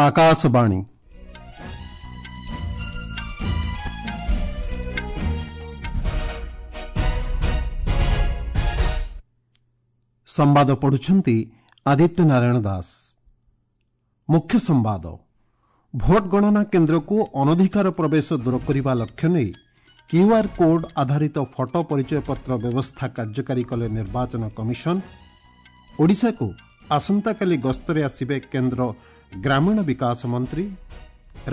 ଆକାଶବାଣୀ। ସମ୍ବାଦ ପଢୁଛନ୍ତି ଆଦିତ୍ୟ ନାରାୟଣ ଦାସ। ମୁଖ୍ୟ ସମ୍ବାଦ। ଭୋଟ ଗଣନା କେନ୍ଦ୍ରକୁ ଅନଧିକାର ପ୍ରବେଶ ଦୂର କରିବା ଲକ୍ଷ୍ୟ ନେଇ କ୍ୟୁଆର୍ କୋଡ୍ ଆଧାରିତ ଫଟୋ ପରିଚୟପତ୍ର ବ୍ୟବସ୍ଥା କାର୍ଯ୍ୟକାରୀ କଲେ ନିର୍ବାଚନ କମିଶନ। ଓଡ଼ିଶାକୁ ଆସନ୍ତାକାଲି ଗସ୍ତରେ ଆସିବେ କେନ୍ଦ୍ର ଗ୍ରାମୀଣ ବିକାଶ ମନ୍ତ୍ରୀ।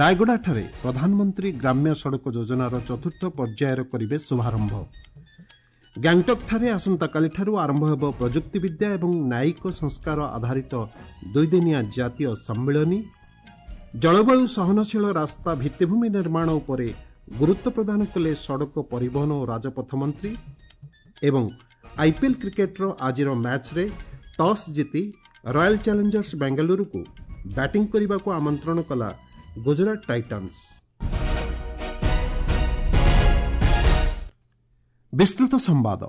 ରାୟଗଡ଼ାଠାରେ ପ୍ରଧାନମନ୍ତ୍ରୀ ଗ୍ରାମ୍ୟ ସଡ଼କ ଯୋଜନାର ଚତୁର୍ଥ ପର୍ଯ୍ୟାୟର କରିବେ ଶୁଭାରମ୍ଭ। ଗ୍ୟାଙ୍ଗଟକ୍ଠାରେ ଆସନ୍ତାକାଲିଠାରୁ ଆରମ୍ଭ ହେବ ପ୍ରଯୁକ୍ତିବିଦ୍ୟା ଏବଂ ନ୍ୟାୟିକ ସଂସ୍କାର ଆଧାରିତ ଦୁଇଦିନିଆ ଜାତୀୟ ସମ୍ମିଳନୀ। ଜଳବାୟୁ ସହନଶୀଳ ରାସ୍ତା ଭିତ୍ତିଭୂମି ନିର୍ମାଣ ଉପରେ ଗୁରୁତ୍ୱ ପ୍ରଦାନ କଲେ ସଡ଼କ ପରିବହନ ଓ ରାଜପଥ ମନ୍ତ୍ରୀ। ଏବଂ ଆଇପିଏଲ୍ କ୍ରିକେଟ୍ର ଆଜିର ମ୍ୟାଚ୍ରେ ଟସ୍ ଜିତି ରୟାଲ୍ ଚ୍ୟାଲେଞ୍ଜର୍ସ ବେଙ୍ଗାଲୁରୁକୁ ବ୍ୟାଟିଂ କରିବାକୁ ଆମନ୍ତ୍ରଣ କଲା ଗୁଜରାଟ ଟାଇଟାନ୍ସ। ବିସ୍ତୃତ ସମ୍ବାଦ।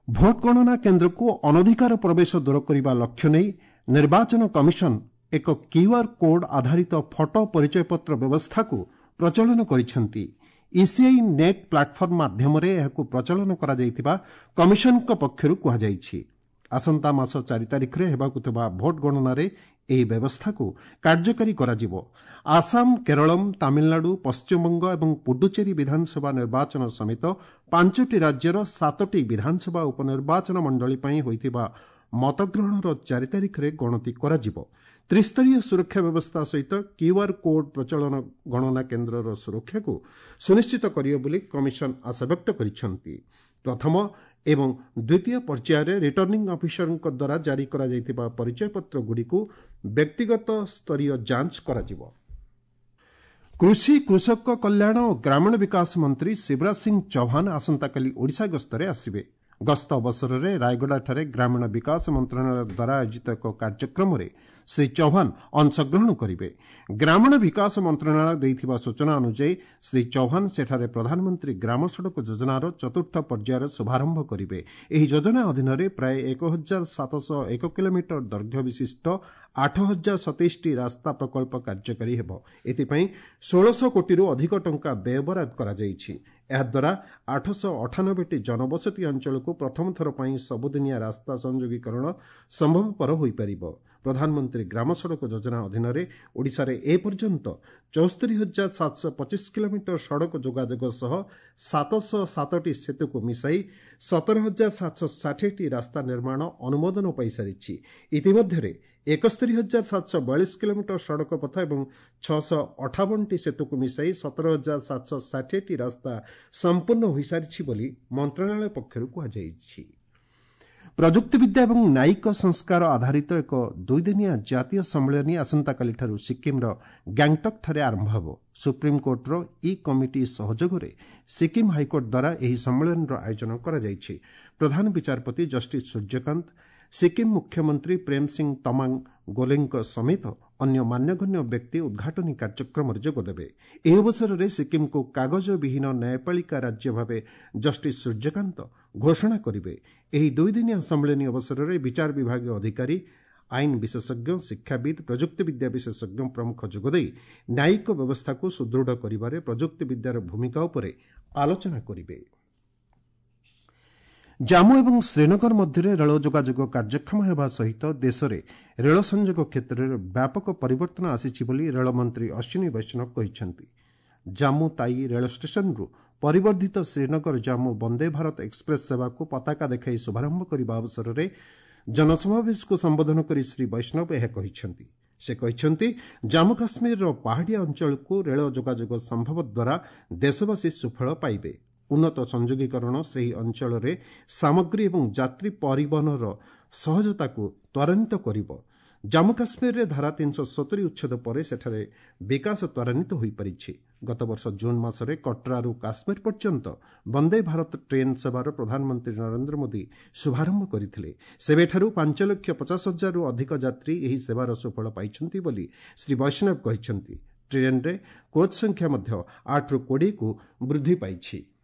ଭୋଟ ଗଣନା କେନ୍ଦ୍ରକୁ ଅନଧିକାର ପ୍ରବେଶ ଦୂର କରିବା ଲକ୍ଷ୍ୟ ନେଇ ନିର୍ବାଚନ କମିଶନ ଏକ କ୍ୟୁଆର୍ କୋଡ୍ ଆଧାରିତ ଫଟୋ ପରିଚୟପତ୍ର ବ୍ୟବସ୍ଥାକୁ ପ୍ରଚଳନ କରିଛନ୍ତି। ଇସିଆଇ ନେଟ୍ ପ୍ଲାଟଫର୍ମ ମାଧ୍ୟମରେ ଏହାକୁ ପ୍ରଚଳନ କରାଯାଇଥିବା କମିଶନଙ୍କ ପକ୍ଷରୁ କୁହାଯାଇଛି। ଆସନ୍ତା ମାସ 4 ତାରିଖରେ ହେବାକୁ ଥିବା ଭୋଟ ଗଣନାରେ ଏହି ବ୍ୟବସ୍ଥାକୁ କାର୍ଯ୍ୟକାରୀ କରାଯିବ। ଆସାମ, କେରଳମ୍, ତାମିଲନାଡୁ, ପଶ୍ଚିମବଙ୍ଗ ଏବଂ ପୁଡୁଚେରୀ ବିଧାନସଭା ନିର୍ବାଚନ ସମେତ 5ଟି ରାଜ୍ୟର 7ଟି ବିଧାନସଭା ଉପନିର୍ବାଚନ ମଣ୍ଡଳୀ ପାଇଁ ହୋଇଥିବା ମତଗ୍ରହଣର 4 ତାରିଖରେ ଗଣତି କରାଯିବ। ତ୍ରିସ୍ତରୀୟ ସୁରକ୍ଷା ବ୍ୟବସ୍ଥା ସହିତ କ୍ୟୁଆର୍ କୋଡ୍ ପ୍ରଚଳନ ଗଣନା କେନ୍ଦ୍ରର ସୁରକ୍ଷାକୁ ସୁନିଶ୍ଚିତ କରିବ ବୋଲି କମିଶନ ଆଶାବ୍ୟକ୍ତ କରିଛନ୍ତି। ପ୍ରଥମ ଏବଂ ଦ୍ୱିତୀୟ ପର୍ଯ୍ୟାୟରେ ରିଟର୍ଣ୍ଣିଂ ଅଫିସରଙ୍କ ଦ୍ୱାରା ଜାରି କରାଯାଇଥିବା ପରିଚୟପତ୍ରଗୁଡ଼ିକୁ ବ୍ୟକ୍ତିଗତ ସ୍ତରୀୟ ଯାଞ୍ଚ କରାଯିବ। କୃଷି, କୃଷକ କଲ୍ୟାଣ ଓ ଗ୍ରାମୀଣ ବିକାଶ ମନ୍ତ୍ରୀ ଶିବରାଜ ସିଂ ଚୌହାନ ଆସନ୍ତାକାଲି ଓଡ଼ିଶା ଗସ୍ତରେ ଆସିବେ। ଗସ୍ତ ଅବସରରେ ରାୟଗଡ଼ାଠାରେ ଗ୍ରାମୀଣ ବିକାଶ ମନ୍ତ୍ରଣାଳୟ ଦ୍ୱାରା ଆୟୋଜିତ ଏକ କାର୍ଯ୍ୟକ୍ରମରେ ଶ୍ରୀ ଚୌହାନ ଅଂଶଗ୍ରହଣ କରିବେ। ଗ୍ରାମୀଣ ବିକାଶ ମନ୍ତ୍ରଣାଳୟ ଦେଇଥିବା ସୂଚନା ଅନୁଯାୟୀ ଶ୍ରୀ ଚୌହାନ ସେଠାରେ ପ୍ରଧାନମନ୍ତ୍ରୀ ଗ୍ରାମ ସଡ଼କ ଯୋଜନାର ଚତୁର୍ଥ ପର୍ଯ୍ୟାୟର ଶୁଭାରମ୍ଭ କରିବେ। ଏହି ଯୋଜନା ଅଧୀନରେ ପ୍ରାୟ 1701 କିଲୋମିଟର ଦୈର୍ଘ୍ୟ ବିଶିଷ୍ଟ 8027ଟି ରାସ୍ତା ପ୍ରକଳ୍ପ କାର୍ଯ୍ୟକାରୀ ହେବ। ଏଥିପାଇଁ 1600 କୋଟିରୁ ଅଧିକ ଟଙ୍କା ବ୍ୟୟବରାଦ କରାଯାଇଛି। ଏହାଦ୍ୱାରା 898ଟି ଜନବସତି ଅଞ୍ଚଳକୁ ପ୍ରଥମ ଥର ପାଇଁ ସବୁଦିନିଆ ରାସ୍ତା ସଂଯୋଗୀକରଣ ସମ୍ଭବପର ହୋଇପାରିବ। ପ୍ରଧାନମନ୍ତ୍ରୀ ଗ୍ରାମ ସଡ଼କ ଯୋଜନା ଅଧୀନରେ ଓଡ଼ିଶାରେ ଏପର୍ଯ୍ୟନ୍ତ 74,725 କିଲୋମିଟର ସଡ଼କ ଯୋଗାଯୋଗ ସହ 707ଟି ସେତୁକୁ ମିଶାଇ 17,760ଟି ରାସ୍ତା ନିର୍ମାଣ ଅନୁମୋଦନ ପାଇସାରିଛି। ଇତିମଧ୍ୟରେ 71,742 କିଲୋମିଟର ସଡ଼କ ପଥ ଏବଂ 658ଟି ସେତୁକୁ ମିଶାଇ 17,760ଟି ରାସ୍ତା ସମ୍ପୂର୍ଣ୍ଣ ହୋଇସାରିଛି ବୋଲି ମନ୍ତ୍ରଣାଳୟ ପକ୍ଷରୁ କୁହାଯାଇଛି। ପ୍ରଯୁକ୍ତିବିଦ୍ୟା ଏବଂ ନ୍ୟାୟିକ ସଂସ୍କାର ଆଧାରିତ ଏକ ଦୁଇଦିନିଆ ଜାତୀୟ ସମ୍ମିଳନୀ ଆସନ୍ତାକାଲିଠାରୁ ସିକ୍କିମ୍ର ଗ୍ୟାଙ୍ଗଟକ୍ଠାରେ ଆରମ୍ଭ ହେବ। ସୁପ୍ରିମକୋର୍ଟର ଇ କମିଟି ସହଯୋଗରେ ସିକ୍କିମ୍ ହାଇକୋର୍ଟ ଦ୍ୱାରା ଏହି ସମ୍ମିଳନୀର ଆୟୋଜନ କରାଯାଇଛି। ପ୍ରଧାନ ବିଚାରପତି ଜଷ୍ଟିସ୍ ସୂର୍ଯ୍ୟକାନ୍ତ, ସିକ୍କିମ୍ ମୁଖ୍ୟମନ୍ତ୍ରୀ ପ୍ରେମ ସିଂ ତମାଙ୍ଗ ଗୋଲେଙ୍କ ସମେତ ଅନ୍ୟ ମାନ୍ୟଗଣ୍ୟ ବ୍ୟକ୍ତି ଉଦ୍ଘାଟନୀ କାର୍ଯ୍ୟକ୍ରମରେ ଯୋଗଦେବେ। ଏହି ଅବସରରେ ସିକ୍କିମ୍କୁ କାଗଜବିହୀନ ନ୍ୟାୟପାଳିକା ରାଜ୍ୟ ଭାବେ ଜଷ୍ଟିସ୍ ସୂର୍ଯ୍ୟକାନ୍ତ ଘୋଷଣା କରିବେ। ଏହି ଦୁଇଦିନିଆ ସମ୍ମିଳନୀ ଅବସରରେ ବିଚାର ବିଭାଗୀୟ ଅଧିକାରୀ, ଆଇନ ବିଶେଷଜ୍ଞ, ଶିକ୍ଷାବିତ୍, ପ୍ରଯୁକ୍ତିବିଦ୍ୟା ବିଶେଷଜ୍ଞ ପ୍ରମୁଖ ଯୋଗଦେଇ ନ୍ୟାୟିକ ବ୍ୟବସ୍ଥାକୁ ସୁଦୃଢ଼ କରିବାରେ ପ୍ରଯୁକ୍ତିବିଦ୍ୟାର ଭୂମିକା ଉପରେ ଆଲୋଚନା କରିବେ। ଜାମ୍ମୁ ଏବଂ ଶ୍ରୀନଗର ମଧ୍ୟରେ ରେଳ ଯୋଗାଯୋଗ କାର୍ଯ୍ୟକ୍ଷମ ହେବା ସହିତ ଦେଶରେ ରେଳ ସଂଯୋଗ କ୍ଷେତ୍ରରେ ବ୍ୟାପକ ପରିବର୍ତ୍ତନ ଆସିଛି ବୋଲି ରେଳମନ୍ତ୍ରୀ ଅଶ୍ୱିନୀ ବୈଷ୍ଣବ କହିଛନ୍ତି। ଜାମ୍ମୁ ତାଇ ରେଳ ଷ୍ଟେସନରୁ ପରିବର୍ଦ୍ଧିତ ଶ୍ରୀନଗର ଜାମ୍ମୁ ବନ୍ଦେ ଭାରତ ଏକ୍ସପ୍ରେସ୍ ସେବାକୁ ପତାକା ଦେଖାଇ ଶୁଭାରମ୍ଭ କରିବା ଅବସରରେ ଜନସମାବେଶକୁ ସମ୍ବୋଧନ କରି ଶ୍ରୀ ବୈଷ୍ଣବ ଏହା କହିଛନ୍ତି। ସେ କହିଛନ୍ତି, ଜାମ୍ମୁ କାଶ୍ମୀରର ପାହାଡ଼ିଆ ଅଞ୍ଚଳକୁ ରେଳ ଯୋଗାଯୋଗ ସମ୍ଭବ ଦ୍ୱାରା ଦେଶବାସୀ ସୁଫଳ ପାଇବେ। ଉନ୍ନତ ସଂଯୋଗୀକରଣ ସେହି ଅଞ୍ଚଳରେ ସାମଗ୍ରୀ ଏବଂ ଯାତ୍ରୀ ପରିବହନର ସହଜତାକୁ ତ୍ୱରାନ୍ୱିତ କରିବ। ଜାମ୍ମୁ କାଶ୍ମୀରରେ ଧାରା 370 ଉଚ୍ଛେଦ ପରେ ସେଠାରେ ବିକାଶ ତ୍ୱରାନ୍ୱିତ ହୋଇପାରିଛି। ଗତବର୍ଷ ଜୁନ୍ ମାସରେ କଟ୍ରାରୁ କାଶ୍ମୀର ପର୍ଯ୍ୟନ୍ତ ବନ୍ଦେ ଭାରତ ଟ୍ରେନ୍ ସେବାର ପ୍ରଧାନମନ୍ତ୍ରୀ ନରେନ୍ଦ୍ର ମୋଦି ଶୁଭାରମ୍ଭ କରିଥିଲେ। ସେବେଠାରୁ 5,50,000ରୁ ଅଧିକ ଯାତ୍ରୀ ଏହି ସେବାର ସୁଫଳ ପାଇଛନ୍ତି ବୋଲି ଶ୍ରୀ ବୈଷ୍ଣବ କହିଛନ୍ତି। ଟ୍ରେନ୍ରେ କୋଚ୍ ସଂଖ୍ୟା ମଧ୍ୟ 8ରୁ 20କୁ ବୃଦ୍ଧି ପାଇଛି।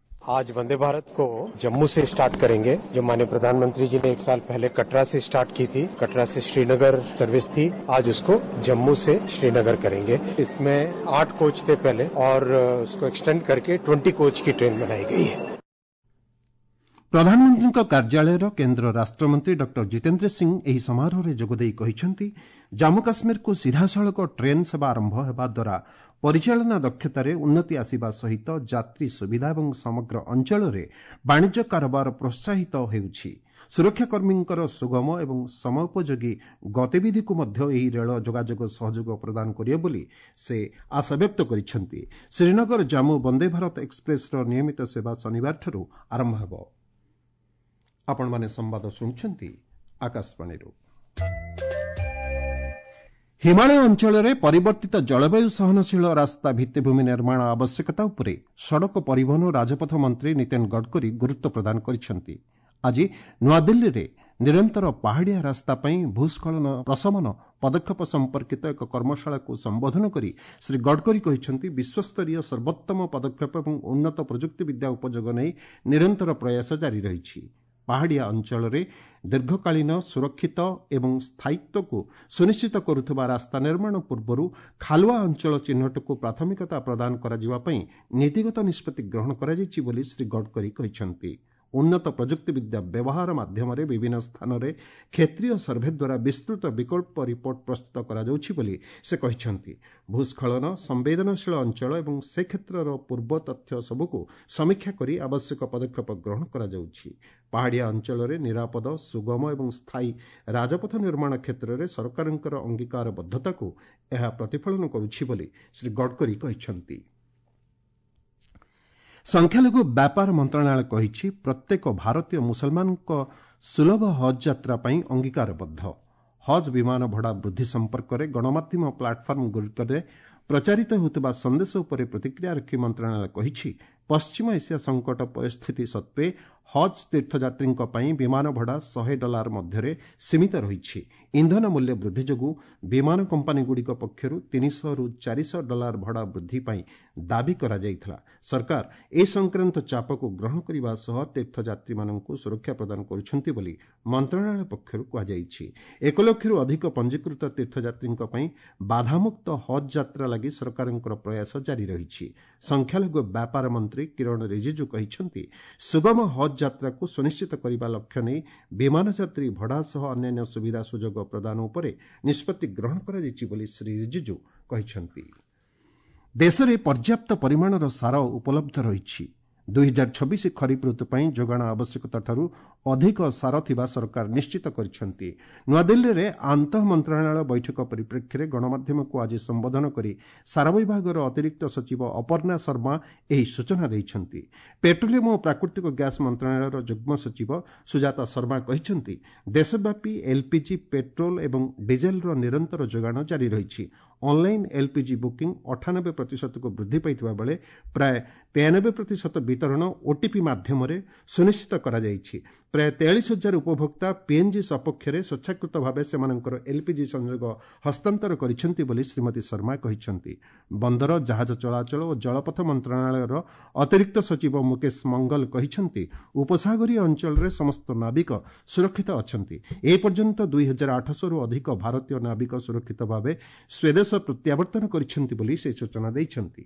आज वंदे भारत को जम्मू से स्टार्ट करेंगे, जो माननीय प्रधानमंत्री जी ने 1 साल पहले कटरा से स्टार्ट की थी। कटरा से श्रीनगर सर्विस थी, आज उसको जम्मू से श्रीनगर करेंगे। इसमें 8 कोच थे पहले और उसको एक्सटेंड करके 20 कोच की ट्रेन बनाई गई है। ପ୍ରଧାନମନ୍ତ୍ରୀଙ୍କ କାର୍ଯ୍ୟାଳୟର କେନ୍ଦ୍ର ରାଷ୍ଟ୍ରମନ୍ତ୍ରୀ ଡକ୍ଟର ଜିତେନ୍ଦ୍ର ସିଂ ଏହି ସମାରୋହରେ ଯୋଗଦେଇ କହିଛନ୍ତି, ଜାମ୍ମୁ କାଶ୍ମୀରକୁ ସିଧାସଳଖ ଟ୍ରେନ୍ ସେବା ଆରମ୍ଭ ହେବା ଦ୍ୱାରା ପରିଚାଳନା ଦକ୍ଷତାରେ ଉନ୍ନତି ଆସିବା ସହିତ ଯାତ୍ରୀ ସୁବିଧା ଏବଂ ସମଗ୍ର ଅଞ୍ଚଳରେ ବାଣିଜ୍ୟ କାରବାର ପ୍ରୋତ୍ସାହିତ ହେଉଛି। ସୁରକ୍ଷାକର୍ମୀଙ୍କର ସୁଗମ ଏବଂ ସମୟୋପଯୋଗୀ ଗତିବିଧିକୁ ମଧ୍ୟ ଏହି ରେଳ ଯୋଗାଯୋଗ ସହଯୋଗ ପ୍ରଦାନ କରିବ ବୋଲି ସେ ଆଶାବ୍ୟକ୍ତ କରିଛନ୍ତି। ଶ୍ରୀନଗର ଜାମ୍ମୁ ବନ୍ଦେ ଭାରତ ଏକ୍ସପ୍ରେସର ନିୟମିତ ସେବା ଶନିବାରଠାରୁ ଆରମ୍ଭ ହେବ। ଆପଣମାନେ ସମ୍ବାଦ ଶୁଣୁଛନ୍ତି ଆକାଶବାଣୀରୁ। ହିମାଳୟ ଅଞ୍ଚଳରେ ପରିବର୍ତ୍ତିତ ଜଳବାୟୁ ସହନଶୀଳ ରାସ୍ତା ଭିତ୍ତିଭୂମି ନିର୍ମାଣ ଆବଶ୍ୟକତା ଉପରେ ସଡ଼କ ପରିବହନ ଓ ରାଜପଥ ମନ୍ତ୍ରୀ ନୀତିନ ଗଡ଼କରୀ ଗୁରୁତ୍ୱ ପ୍ରଦାନ କରିଛନ୍ତି। ଆଜି ନୂଆଦିଲ୍ଲୀରେ ନିରନ୍ତର ପାହାଡ଼ିଆ ରାସ୍ତା ପାଇଁ ଭୂସ୍ଖଳନ ପ୍ରଶମନ ପଦକ୍ଷେପ ସମ୍ପର୍କିତ ଏକ କର୍ମଶାଳାକୁ ସମ୍ବୋଧନ କରି ଶ୍ରୀ ଗଡ଼କରୀ କହିଛନ୍ତି, ବିଶ୍ୱସ୍ତରୀୟ ସର୍ବୋତ୍ତମ ପଦକ୍ଷେପ ଏବଂ ଉନ୍ନତ ପ୍ରଯୁକ୍ତିବିଦ୍ୟା ଉପଯୋଗ ନେଇ ନିରନ୍ତର ପ୍ରୟାସ ଜାରି ରହିଛି। ପାହାଡ଼ିଆ ଅଞ୍ଚଳରେ ଦୀର୍ଘକାଳୀନ ସୁରକ୍ଷିତ ଏବଂ ସ୍ଥାୟିତ୍ୱକୁ ସୁନିଶ୍ଚିତ କରୁଥିବା ରାସ୍ତା ନିର୍ମାଣ ପୂର୍ବରୁ ଖାଲୁଆ ଅଞ୍ଚଳ ଚିହ୍ନଟକୁ ପ୍ରାଥମିକତା ପ୍ରଦାନ କରାଯିବା ପାଇଁ ନୀତିଗତ ନିଷ୍ପତ୍ତି ଗ୍ରହଣ କରାଯାଇଛି ବୋଲି ଶ୍ରୀ ଗଡ଼କରୀ କହିଛନ୍ତି। ଉନ୍ନତ ପ୍ରଯୁକ୍ତିବିଦ୍ୟା ବ୍ୟବହାର ମାଧ୍ୟମରେ ବିଭିନ୍ନ ସ୍ଥାନରେ କ୍ଷେତ୍ରୀୟ ସର୍ଭେ ଦ୍ୱାରା ବିସ୍ତୃତ ବିକଳ୍ପ ରିପୋର୍ଟ ପ୍ରସ୍ତୁତ କରାଯାଉଛି ବୋଲି ସେ କହିଛନ୍ତି। ଭୂସ୍ଖଳନ ସମ୍ବେଦନଶୀଳ ଅଞ୍ଚଳ ଏବଂ ସେ କ୍ଷେତ୍ରର ପୂର୍ବ ତଥ୍ୟ ସବୁକୁ ସମୀକ୍ଷା କରି ଆବଶ୍ୟକ ପଦକ୍ଷେପ ଗ୍ରହଣ କରାଯାଉଛି। ପାହାଡ଼ିଆ ଅଞ୍ଚଳରେ ନିରାପଦ, ସୁଗମ ଏବଂ ସ୍ଥାୟୀ ରାଜପଥ ନିର୍ମାଣ କ୍ଷେତ୍ରରେ ସରକାରଙ୍କର ଅଙ୍ଗୀକାରବଦ୍ଧତାକୁ ଏହା ପ୍ରତିଫଳନ କରୁଛି ବୋଲି ଶ୍ରୀ ଗଡ଼କରୀ କହିଛନ୍ତି। ସଂଖ୍ୟାଲଘୁ ବ୍ୟାପାର ମନ୍ତ୍ରଣାଳୟ କହିଛି, ପ୍ରତ୍ୟେକ ଭାରତୀୟ ମୁସଲମାନଙ୍କ ସୁଲଭ ହଜ୍ ଯାତ୍ରା ପାଇଁ ଅଙ୍ଗୀକାରବଦ୍ଧ। ହଜ୍ ବିମାନ ଭଡ଼ା ବୃଦ୍ଧି ସମ୍ପର୍କରେ ଗଣମାଧ୍ୟମ ପ୍ଲାଟଫର୍ମଗୁଡ଼ିକରେ ପ୍ରଚାରିତ ହେଉଥିବା ସନ୍ଦେଶ ଉପରେ ପ୍ରତିକ୍ରିୟା ରଖି ମନ୍ତ୍ରଣାଳୟ କହିଛି, ପଶ୍ଚିମ ଏସିଆ ସଙ୍କଟ ପରିସ୍ଥିତି ସତ୍ତ୍ୱେ ହଜ୍ ତୀର୍ଥଯାତ୍ରୀଙ୍କ ପାଇଁ ବିମାନ ଭଡ଼ା $100 ମଧ୍ୟରେ ସୀମିତ ରହିଛି। ଇନ୍ଧନ ମୂଲ୍ୟ ବୃଦ୍ଧି ଯୋଗୁଁ ବିମାନ କମ୍ପାନୀଗୁଡ଼ିକ ପକ୍ଷରୁ $300ରୁ $400 ଭଡ଼ା ବୃଦ୍ଧି ପାଇଁ ଦାବି କରାଯାଇଥିଲା। ସରକାର ଏ ସଂକ୍ରାନ୍ତ ଚାପକୁ ଗ୍ରହଣ କରିବା ସହ ତୀର୍ଥଯାତ୍ରୀମାନଙ୍କୁ ସୁରକ୍ଷା ପ୍ରଦାନ କରୁଛନ୍ତି ବୋଲି ମନ୍ତ୍ରଣାଳୟ ପକ୍ଷରୁ କୁହାଯାଇଛି। 1 ଲକ୍ଷରୁ ଅଧିକ ପଞ୍ଜୀକୃତ ତୀର୍ଥଯାତ୍ରୀଙ୍କ ପାଇଁ ବାଧାମୁକ୍ତ ହଜ୍ ଯାତ୍ରା ଲାଗି ସରକାରଙ୍କର ପ୍ରୟାସ ଜାରି ରହିଛି। ସଂଖ୍ୟାଲଘୁ ବ୍ୟାପାର ମନ୍ତ୍ରୀ କିରଣ ରିଜିଜୁ କହିଛନ୍ତି, ସୁଗମ ହଜ୍ ଯାତ୍ରାକୁ ସୁନିଶ୍ଚିତ କରିବା ଲକ୍ଷ୍ୟ ନେଇ ବିମାନ ଯାତ୍ରୀ ଭଡ଼ା ସହ ଅନ୍ୟାନ୍ୟ ସୁବିଧା ସୁଯୋଗ ପ୍ରଦାନ ଉପରେ ନିଷ୍ପତ୍ତି ଗ୍ରହଣ କରାଯାଇଛି ବୋଲି ଶ୍ରୀ ରିଜିଜୁ କହିଛନ୍ତି। ଦେଶରେ ପର୍ଯ୍ୟାପ୍ତ ପରିମାଣର ସାର ଉପଲବ୍ଧ ରହିଛି। 2026 ଖରିଫ ଋତୁ ପାଇଁ ଯୋଗାଣ ଆବଶ୍ୟକତାଠାରୁ ଅଧିକ ସାର ଥିବା ସରକାର ନିଶ୍ଚିତ କରିଛନ୍ତି। ନୂଆଦିଲ୍ଲୀରେ ଆନ୍ତଃ ମନ୍ତ୍ରଣାଳୟ ବୈଠକ ପରିପ୍ରେକ୍ଷୀରେ ଗଣମାଧ୍ୟମକୁ ଆଜି ସମ୍ବୋଧନ କରି ସାର ବିଭାଗର ଅତିରିକ୍ତ ସଚିବ ଅପର୍ଣ୍ଣା ଶର୍ମା ଏହି ସୂଚନା ଦେଇଛନ୍ତି। ପେଟ୍ରୋଲିୟମ ଓ ପ୍ରାକୃତିକ ଗ୍ୟାସ୍ ମନ୍ତ୍ରଣାଳୟର ଯୁଗ୍ମ ସଚିବ ସୁଜାତା ଶର୍ମା କହିଛନ୍ତି, ଦେଶବ୍ୟାପୀ ଏଲ୍ପିଜି, ପେଟ୍ରୋଲ ଏବଂ ଡିଜେଲର ନିରନ୍ତର ଯୋଗାଣ ଜାରି ରହିଛି। ଅନଲାଇନ୍ ଏଲ୍ପିଜି ବୁକିଂ 98%କୁ ବୃଦ୍ଧି ପାଇଥିବା ବେଳେ ପ୍ରାୟ 93% ବିତରଣ ଓଟିପି ମାଧ୍ୟମରେ ସୁନିଶ୍ଚିତ କରାଯାଇଛି। ପ୍ରାୟ 43,000 ଉପଭୋକ୍ତା ପିଏନ୍ଜି ସପକ୍ଷରେ ସ୍ୱେଚ୍ଛାକୃତ ଭାବେ ସେମାନଙ୍କର ଏଲ୍ପିଜି ସଂଯୋଗ ହସ୍ତାନ୍ତର କରିଛନ୍ତି ବୋଲି ଶ୍ରୀମତୀ ଶର୍ମା କହିଛନ୍ତି। ବନ୍ଦର, ଜାହାଜ ଚଳାଚଳ ଓ ଜଳପଥ ମନ୍ତ୍ରଣାଳୟର ଅତିରିକ୍ତ ସଚିବ ମୁକେଶ ମଙ୍ଗଲ କହିଛନ୍ତି, ଉପସାଗରୀୟ ଅଞ୍ଚଳରେ ସମସ୍ତ ନାବିକ ସୁରକ୍ଷିତ ଅଛନ୍ତି। ଏପର୍ଯ୍ୟନ୍ତ 2,800ରୁ ଅଧିକ ଭାରତୀୟ ନାବିକ ସୁରକ୍ଷିତ ଭାବେ ସ୍ୱଦେଶ ପ୍ରତ୍ୟାବର୍ତ୍ତନ କରିଛନ୍ତି ବୋଲି ସେ ସୂଚନା ଦେଇଛନ୍ତି।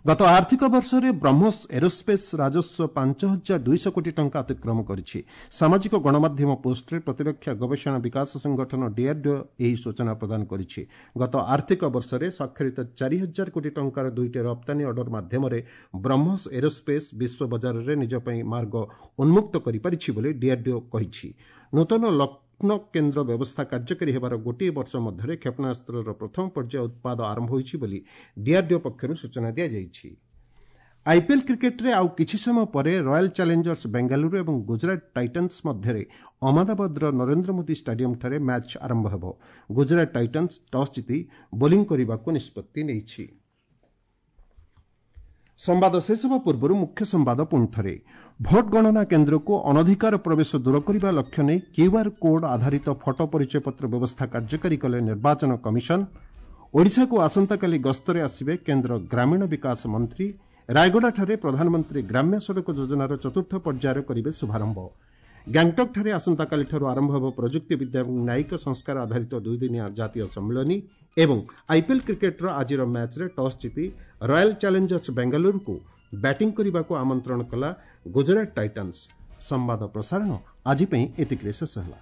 ଗତ ଆର୍ଥିକ ବର୍ଷରେ ବ୍ରହ୍ମୋସ ଏରୋସ୍ପେସ୍ ରାଜସ୍ୱ 5,200 କୋଟି ଟଙ୍କା ଅତିକ୍ରମ କରିଛି। ସାମାଜିକ ଗଣମାଧ୍ୟମ ପୋଷ୍ଟରେ ପ୍ରତିରକ୍ଷା ଗବେଷଣା ବିକାଶ ସଂଗଠନ ଡିଆର୍ଡିଓ ଏହି ସୂଚନା ପ୍ରଦାନ କରିଛି। ଗତ ଆର୍ଥିକ ବର୍ଷରେ ସ୍ୱାକ୍ଷରିତ 4,000 କୋଟି ଟଙ୍କାର ଦୁଇଟି ରପ୍ତାନୀ ଅର୍ଡର ମାଧ୍ୟମରେ ବ୍ରହ୍ମୋସ ଏରୋସ୍ପେସ୍ ବିଶ୍ୱ ବଜାରରେ ନିଜ ପାଇଁ ମାର୍ଗ ଉନ୍ମୁକ୍ତ କରିପାରିଛି ବୋଲି ଡିଆର୍ଡିଓ କହିଛି। ନୂତନ ଲଗ୍ନ କେନ୍ଦ୍ର ବ୍ୟବସ୍ଥା କାର୍ଯ୍ୟକାରୀ ହେବାର ଗୋଟିଏ ବର୍ଷ ମଧ୍ୟରେ କ୍ଷେପଣାସ୍ତ୍ରର ପ୍ରଥମ ପର୍ଯ୍ୟାୟ ଉତ୍ପାଦ ଆରମ୍ଭ ହୋଇଛି ବୋଲି ଡିଆର୍ଡିଓ ପକ୍ଷରୁ ସୂଚନା ଦିଆଯାଇଛି। ଆଇପିଏଲ୍ କ୍ରିକେଟ୍ରେ ଆଉ କିଛି ସମୟ ପରେ ରୟାଲ୍ ଚ୍ୟାଲେଞ୍ଜର୍ସ ବେଙ୍ଗାଲୁରୁ ଏବଂ ଗୁଜରାଟ ଟାଇଟନ୍ସ ମଧ୍ୟରେ ଅହମ୍ମଦାବାଦର ନରେନ୍ଦ୍ର ମୋଦି ଷ୍ଟାଡିୟମ୍ଠାରେ ମ୍ୟାଚ୍ ଆରମ୍ଭ ହେବ। ଗୁଜରାଟ ଟାଇଟନ୍ସ ଟସ୍ ଜିତି ବୋଲିଂ କରିବାକୁ ନିଷ୍ପତ୍ତି ନେଇଛି। ସମ୍ବାଦ ଶେଷ ହେବା ପୂର୍ବରୁ ମୁଖ୍ୟ ସମ୍ବାଦ ପୁଣି ଥରେ। ଭୋଟ ଗଣନା କେନ୍ଦ୍ରକୁ ଅନଧିକାର ପ୍ରବେଶ ଦୂର କରିବା ଲକ୍ଷ୍ୟ ନେଇ କ୍ୟୁଆର୍ କୋଡ୍ ଆଧାରିତ ଫଟୋ ପରିଚୟପତ୍ର ବ୍ୟବସ୍ଥା କାର୍ଯ୍ୟକାରୀ କଲେ ନିର୍ବାଚନ କମିଶନ। ଓଡ଼ିଶାକୁ ଆସନ୍ତାକାଲି ଗସ୍ତରେ ଆସିବେ କେନ୍ଦ୍ର ଗ୍ରାମୀଣ ବିକାଶ ମନ୍ତ୍ରୀ ରାୟଗଡ଼ାଠାରେ ପ୍ରଧାନମନ୍ତ୍ରୀ ଗ୍ରାମ୍ୟ ସଡ଼କ ଯୋଜନାର ଚତୁର୍ଥ ପର୍ଯ୍ୟାୟର କରିବେ ଶୁଭାରମ୍ଭ। ଗ୍ୟାଙ୍ଗଟକ୍ଠାରେ ଆସନ୍ତାକାଲିଠାରୁ ଆରମ୍ଭ ହେବ ପ୍ରଯୁକ୍ତିବିଦ୍ୟା ଏବଂ ନ୍ୟାୟିକ ସଂସ୍କାର ଆଧାରିତ ଦୁଇଦିନିଆ ଜାତୀୟ ସମ୍ମିଳନୀ। ଏବଂ ଆଇପିଏଲ୍ କ୍ରିକେଟ୍ର ଆଜିର ମ୍ୟାଚ୍ରେ ଟସ୍ ଜିତି ରୟାଲ୍ ଚ୍ୟାଲେଞ୍ଜର୍ସ ବେଙ୍ଗାଲୁରୁକୁ ବ୍ୟାଟିଂ କରିବାକୁ ଆମନ୍ତ୍ରଣ କଲା ଗୁଜରାଟ ଟାଇଟାନ୍ସ। ସମ୍ବାଦ ପ୍ରସାରଣ ଆଜି ପାଇଁ ଏତିକିରେ ଶେଷ ହେଲା।